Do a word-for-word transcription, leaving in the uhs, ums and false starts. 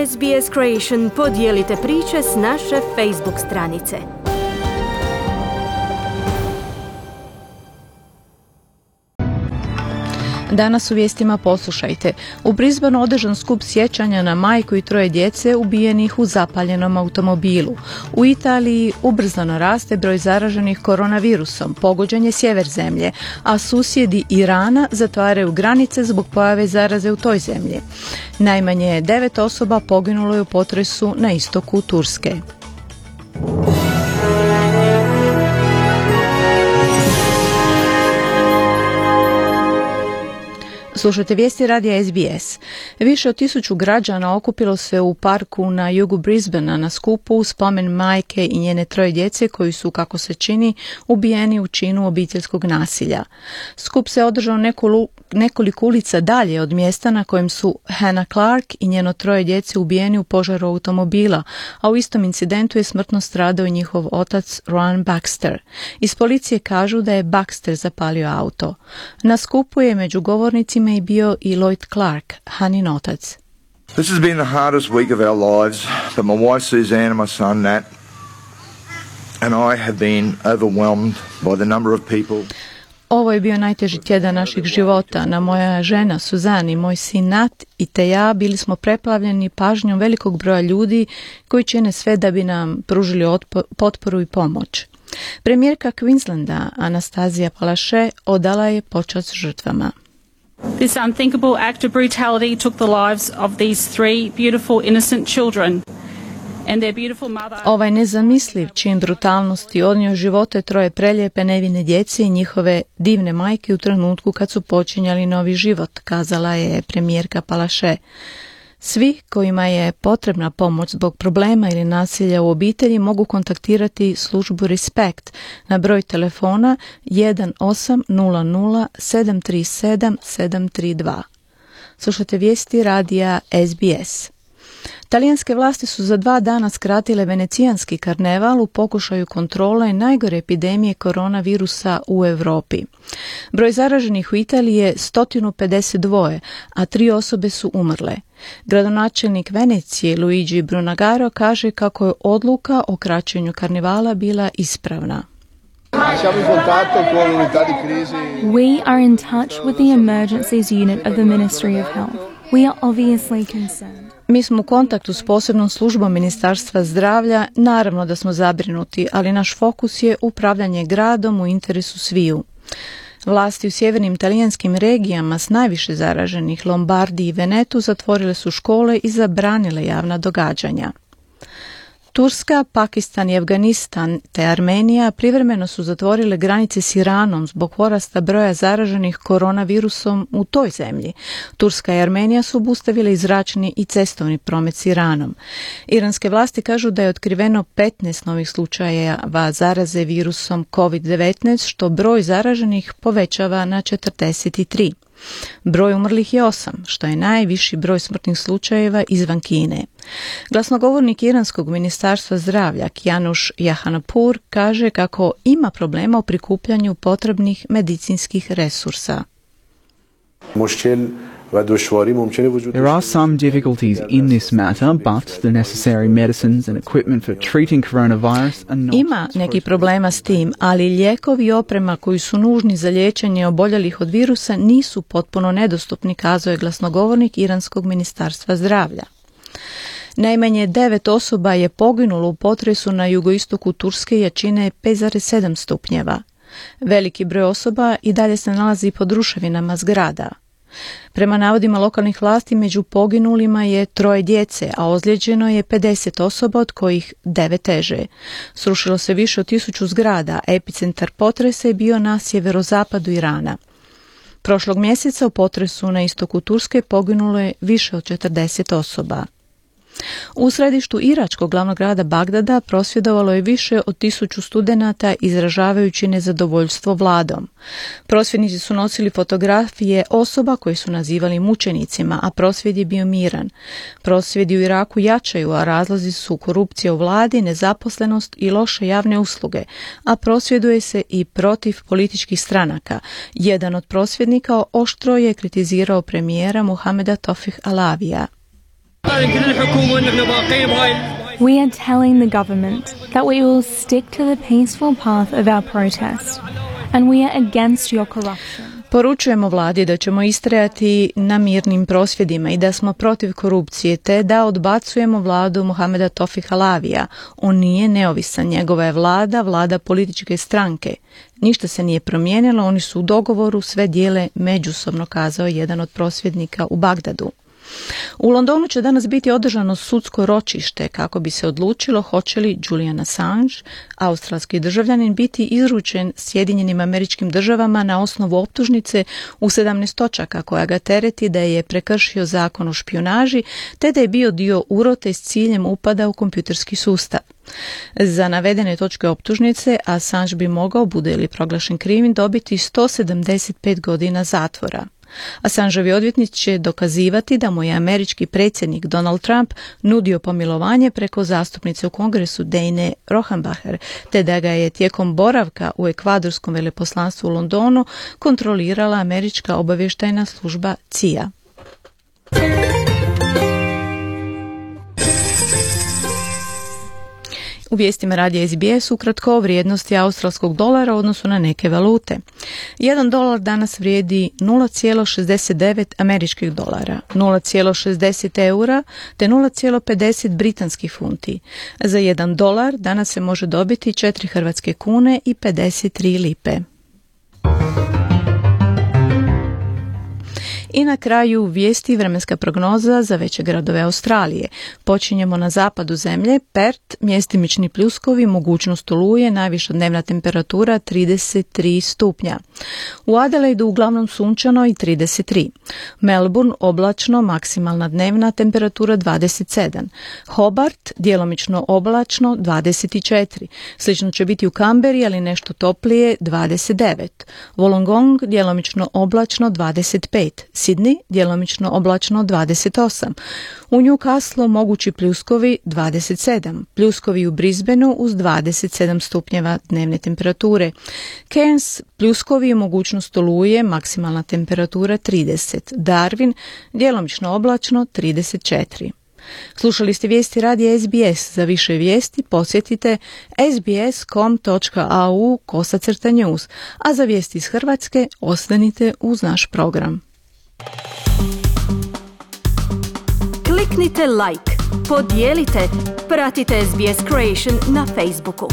S B S Creation podijelite priče s naše Facebook stranice. Danas u vijestima poslušajte. U Brisbaneu održan skup sjećanja na majku i troje djece ubijenih u zapaljenom automobilu. U Italiji ubrzano raste broj zaraženih koronavirusom, pogođen je sjever zemlje, a susjedi Irana zatvaraju granice zbog pojave zaraze u toj zemlji. Najmanje devet osoba poginulo je u potresu na istoku Turske. Slušajte vijesti radija S B S. Više od tisuću građana okupilo se u parku na jugu Brisbanea na skupu u spomen majke i njene troje djece koji su, kako se čini, ubijeni u činu obiteljskog nasilja. Skup se održao neku, nekoliko ulica dalje od mjesta na kojem su Hannah Clark i njeno troje djece ubijeni u požaru automobila, a u istom incidentu je smrtno stradao i njihov otac Rowan Baxter. Iz policije kažu da je Baxter zapalio auto. Na skupu je među govornicima i bio i Lloyd Clark, Hanin otac. This has been the hardest week of our lives, but my wife Suzanne and my son Nat and I have been overwhelmed by the number of people. Ovo je bio najteži tjedan naših života. Na moja žena Suzanne i moj sin Nat i te ja bili smo preplavljeni pažnjom velikog broja ljudi koji čine sve da bi nam pružili otpo- potporu i pomoć. Premijerka Queenslanda Anastazija Palaszczuk odala je počast žrtvama. This unthinkable act of brutality took the lives of these three beautiful innocent children and their beautiful mother. Ovaj nezamisliv čin brutalnosti odnio živote troje prelijepe nevine djece i njihove divne majke u trenutku kad su počinjali novi život, kazala je premijerka Palaszczuk. Svi kojima je potrebna pomoć zbog problema ili nasilja u obitelji mogu kontaktirati službu Respect na broj telefona jedan osam nula nula sedam tri sedam sedam tri dva. Slušajte vijesti radija S B S. Talijanske vlasti su za dva dana skratile venecijanski karneval u pokušaju kontrole najgore epidemije koronavirusa u Europi. Broj zaraženih u Italiji je sto pedeset dva, a tri osobe su umrle. Gradonačelnik Venecije Luigi Brunagaro kaže kako je odluka o kraćenju karnevala bila ispravna. We are in touch with the emergencies unit of the Ministry of Health. We are obviously concerned. Mi smo u kontaktu s posebnom službom Ministarstva zdravlja, naravno da smo zabrinuti, ali naš fokus je upravljanje gradom u interesu sviju. Vlasti u sjevernim talijanskim regijama s najviše zaraženih, Lombardiji i Venetu, zatvorile su škole i zabranile javna događanja. Turska, Pakistan i Afganistan te Armenija privremeno su zatvorile granice s Iranom zbog porasta broja zaraženih koronavirusom u toj zemlji. Turska i Armenija su obustavile i zračni i cestovni promet s Iranom. Iranske vlasti kažu da je otkriveno petnaest novih slučajeva zaraze virusom kovid devetnaest, što broj zaraženih povećava na četrdeset tri. Broj umrlih je osam, što je najviši broj smrtnih slučajeva izvan Kine. Glasnogovornik Iranskog ministarstva zdravlja Kianush Jahanpour kaže kako ima problema u prikupljanju potrebnih medicinskih resursa. There are some difficulties in this matter, but the necessary medicines and equipment for treating coronavirus are not. Ima neki problema s tim, ali lijekovi i oprema koji su nužni za liječenje oboljelih od virusa nisu potpuno nedostupni, kazao je glasnogovornik Iranskog ministarstva zdravlja. Najmanje devet osoba je poginulo u potresu na jugoistoku Turske jačine pet zarez sedam stupnjeva. Veliki broj osoba i dalje se nalazi pod ruševinama zgrada. Prema navodima lokalnih vlasti, među poginulima je troje djece, a ozlijeđeno je pedeset osoba, od kojih devet teže. Srušilo se više od tisuću zgrada, a epicentar potresa je bio na sjeverozapadu Irana. Prošlog mjeseca u potresu na istoku Turske poginulo je više od četrdeset osoba. U središtu iračkog glavnog grada Bagdada prosvjedovalo je više od tisuću studenata izražavajući nezadovoljstvo vladom. Prosvjednici su nosili fotografije osoba koje su nazivali mučenicima, a prosvjed je bio miran. Prosvjedi u Iraku jačaju, a razlozi su korupcija u vladi, nezaposlenost i loše javne usluge, a prosvjeduje se i protiv političkih stranaka. Jedan od prosvjednika oštro je kritizirao premijera Muhameda Tofih Alavija. We are telling the government that we will stick to the peaceful path of our protest, and we are against your corruption. Poručujemo vladi da ćemo istrajati na mirnim prosvjedima i da smo protiv korupcije, te da odbacujemo vladu Mohameda Tofika Lavija. On nije neovisan, njegova je vlada, vlada političke stranke. Ništa se nije promijenilo, oni su u dogovoru, sve dijele međusobno, kazao jedan od prosvjednika u Bagdadu. U Londonu će danas biti održano sudsko ročište kako bi se odlučilo hoće li Julian Assange, australski državljanin, biti izručen Sjedinjenim Američkim Državama na osnovu optužnice u sedamnaest točaka koja ga tereti da je prekršio zakon o špijunaži te da je bio dio urote s ciljem upada u kompjuterski sustav. Za navedene točke optužnice Assange bi mogao, bude li proglašen krivim, dobiti sto sedamdeset pet godina zatvora. Assangeovi odvjetnik će dokazivati da mu je američki predsjednik Donald Trump nudio pomilovanje preko zastupnice u Kongresu Dane Rohrabacher, te da ga je tijekom boravka u ekvadorskom veleposlanstvu u Londonu kontrolirala američka obavještajna služba C I A. U vijestima radija S B S ukratko o vrijednosti australskog dolara u odnosu na neke valute. Jedan dolar danas vrijedi nula zarez šezdeset devet američkih dolara, nula zarez šezdeset eura te nula zarez pedeset britanskih funti. Za jedan dolar danas se može dobiti četiri hrvatske kune i pedeset tri lipe. I na kraju vijesti vremenska prognoza za veće gradove Australije. Počinjemo na zapadu zemlje, Perth, mjestimični pljuskovi, mogućnost oluje, najviša dnevna temperatura trideset tri stupnja. U Adelaidu uglavnom sunčano i trideset tri. Melbourne, oblačno, maksimalna dnevna temperatura dvadeset sedam. Hobart, djelomično oblačno, dvadeset četiri. Slično će biti u Canberri, ali nešto toplije, dvadeset devet. Wollongong, djelomično oblačno, dvadeset pet. Sydney, djelomično oblačno, dvadeset osam. U Newcastlu mogući pljuskovi dvadeset sedam. Pljuskovi u Brisbaneu uz dvadeset sedam stupnjeva dnevne temperature. Cairns, pljuskovi i mogućnost oluje, maksimalna temperatura trideset. Darwin, djelomično oblačno, trideset četiri. Slušali ste vijesti radija S B S. Za više vijesti posjetite sbs.com.au kosacrta news, a za vijesti iz Hrvatske ostanite uz naš program. Kliknite like, podijelite, pratite S B S Creation na Facebooku.